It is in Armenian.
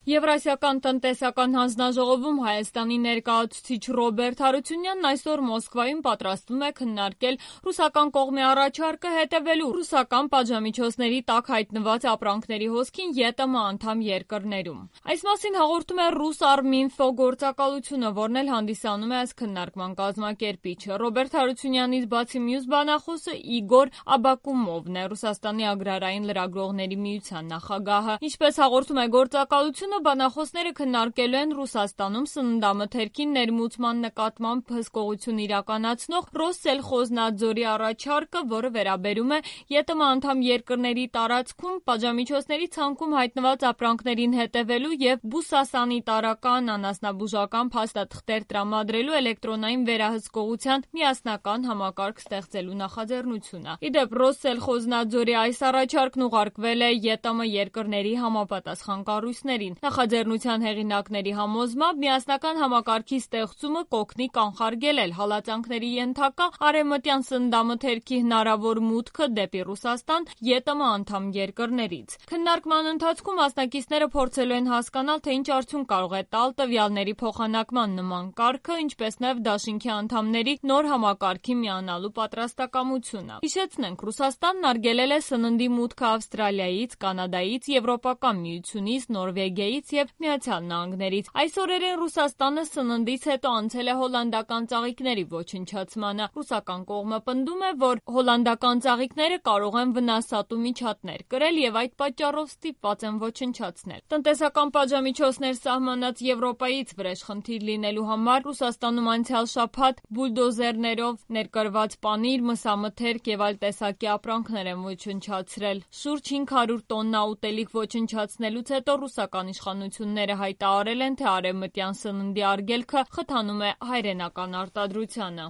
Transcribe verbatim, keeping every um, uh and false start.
Եվրասիական տնտեսական հանձնաժողովում Հայաստանի ներկայացուցիչ Ռոբերտ Հարությունյանն այսօր Մոսկվայում պատրաստվում է քննարկել ռուսական կողմի առաջարկը հետևելու ռուսական պատժամիջոցների տակ հայտնված ապրանքների հոսքին ԵՏՄ անդամ երկրներում։ Այս մասին հաղորդում է Ռուսարմինֆո գործակալությունը, որն էլ հանդիսանում է այս քննարկման կազմակերպիչը։ Ռոբերտ Հարությունյանից բացի մյուս բանախոսը Իգոր Աբակումովն է, Ռուսաստանի agrarային լրագրողների միության նախագահը։ Ինչպես հաղորդում է գործակալությունը, բանախոսները քննարկելու են Ռուսաստանում սննդամթերքին ներմուծման նկատմամբ հսկողություն իրականացնող Ռոսսելխոզնադզորի առաջարկը, որը վերաբերում է ԵՏՄ անդամ երկրների տարածքում պատժամիջոցների ցանկում հայտնված ապրանքներին հետևելու եւ բուսասանիտարական անասնաբուժական փաստաթղթեր տրամադրելու էլեկտրոնային վերահսկողության միասնական համակարգ ստեղծելու նախաձեռնությունը։ Իդեպ Ռոսսելխոզնադզորի այս առաջարկն ուղարկվել է ԵՏՄ երկրների համապատասխան կառույցներին։ Նախաձեռնության հեղինակների համոզմամբ միասնական համակարգի ստեղծումը կօգնի կանխարգելել հալածանքների ենթակա արևմտյան սննդամթերքի հնարավոր մուտքը դեպի Ռուսաստան ԵՏՄ անդամ երկրներից։ Քննարկման ընթացքում մասնակիցները փորձելու են հասկանալ, թե ինչ արդյունք կարող է տալ տվյալների փոխանակման նման կարգը, ինչպես նաև դաշինքի անդամների նոր համակարգի միանալու պատրաստակամությունը։ Հիշեցնենք, Ռուսաստանն արգելել է սննդի մուտքը Ավստրալիայից, Կանադայից, Եվրոպական միությունից, Նորվեգիայից և Միացյալ Նահանգներից։ Այս օրերին Ռուսաստանը սննդից հետո անցել է հոլանդական ծաղիկների ոչնչացմանը։ Ռուսական կողմը պնդում է, որ հոլանդական ծաղիկները կարող են վնասատու միջատներ կրել և այդ պատճառով ստիպված են ոչնչացնել։ Տնտեսական պատժամիջոցներ սահմանած Եվրոպայից վրեժխնդիր լինելու համար Ռուսաստանում անցյալ շաբաթ բուլդոզերներով ներկրված պանիր, մսամթերք և այլ տեսակի ապրանքներ են ոչնչացրել։ Շուրջ հինգ հարյուր տոննա ուտելիք ոչնչացնելուց հետո ռուսական իշխանությունները հայտարարել են, թե արևմտյան սննդի արգելքը խթանում է հայրենական արտադրությանը։